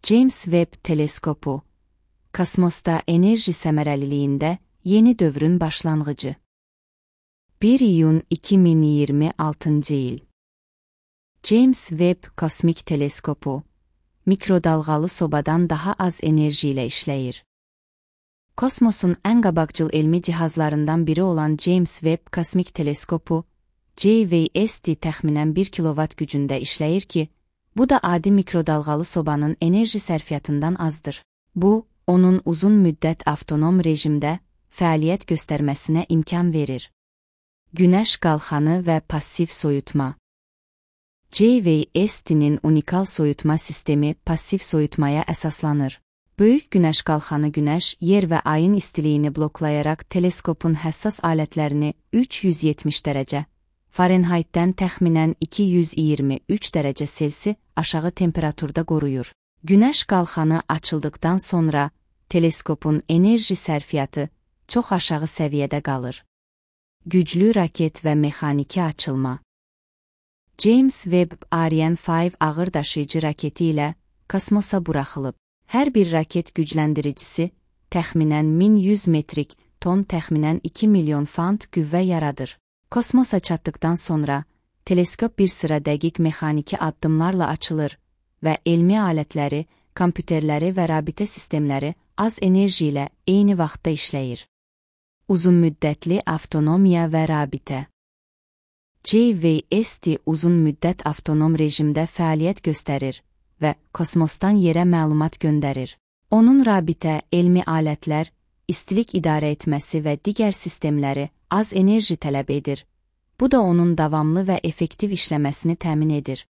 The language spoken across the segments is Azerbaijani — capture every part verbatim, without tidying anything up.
James Webb teleskopu, kosmosda enerji səmərəliliyində yeni dövrün başlanğıcı. bir iyun iki min iyirmi altıncı il. James Webb kosmik teleskopu, mikrodalğalı sobadan daha az enerji ilə işləyir. Kosmosun ən qabaqcıl elmi cihazlarından biri olan James Webb kosmik teleskopu, J V S T təxminən bir kilovat gücündə işləyir ki, bu da adi mikrodalğalı sobanın enerji sərfiyyatından azdır. Bu, onun uzun müddət avtonom rejimdə fəaliyyət göstərməsinə imkan verir. Günəş qalxanı və passiv soyutma. J V S T'nin unikal soyutma sistemi passiv soyutmaya əsaslanır. Böyük günəş qalxanı günəş, yer və ayın istiliyini bloklayaraq teleskopun həssas alətlərini üç yüz yetmiş dərəcə, Fahrenheitdən təxminən iki yüz iyirmi üç dərəcə Selsi aşağı temperaturda qoruyur. Günəş qalxanı açıldıqdan sonra teleskopun enerji sərfiyyatı çox aşağı səviyyədə qalır. Güclü raket və mexaniki açılma. James Webb Ariane beş ağır daşıyıcı raketi ilə kosmosa buraxılıb. Hər bir raket gücləndiricisi təxminən min yüz metrik ton təxminən iki milyon fant qüvvə yaradır. Kosmosa çatdıqdan sonra teleskop bir sıra dəqiq mexaniki addımlarla açılır və elmi alətləri, kompüterləri və rabitə sistemləri az enerji ilə eyni vaxtda işləyir. Uzunmüddətli avtonomiya və rabitə. J V S T uzun müddət avtonom rejimdə fəaliyyət göstərir və kosmosdan yerə məlumat göndərir. Onun rabitə, elmi alətlər, istilik idarə etməsi və digər sistemləri az enerji tələb edir. Bu da onun davamlı və effektiv işləməsini təmin edir.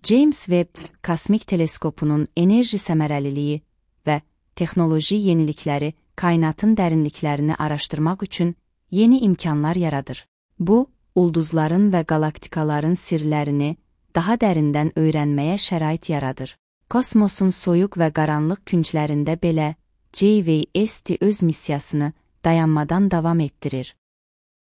James Webb kosmik teleskopunun enerji səmərəliliyi və texnoloji yenilikləri kainatın dərinliklərini araşdırmaq üçün yeni imkanlar yaradır. Bu, ulduzların və galaktikaların sirlərini daha dərindən öyrənməyə şərait yaradır. Kosmosun soyuq və qaranlıq künclərində belə J V S T öz missiyasını dayanmadan davam etdirir.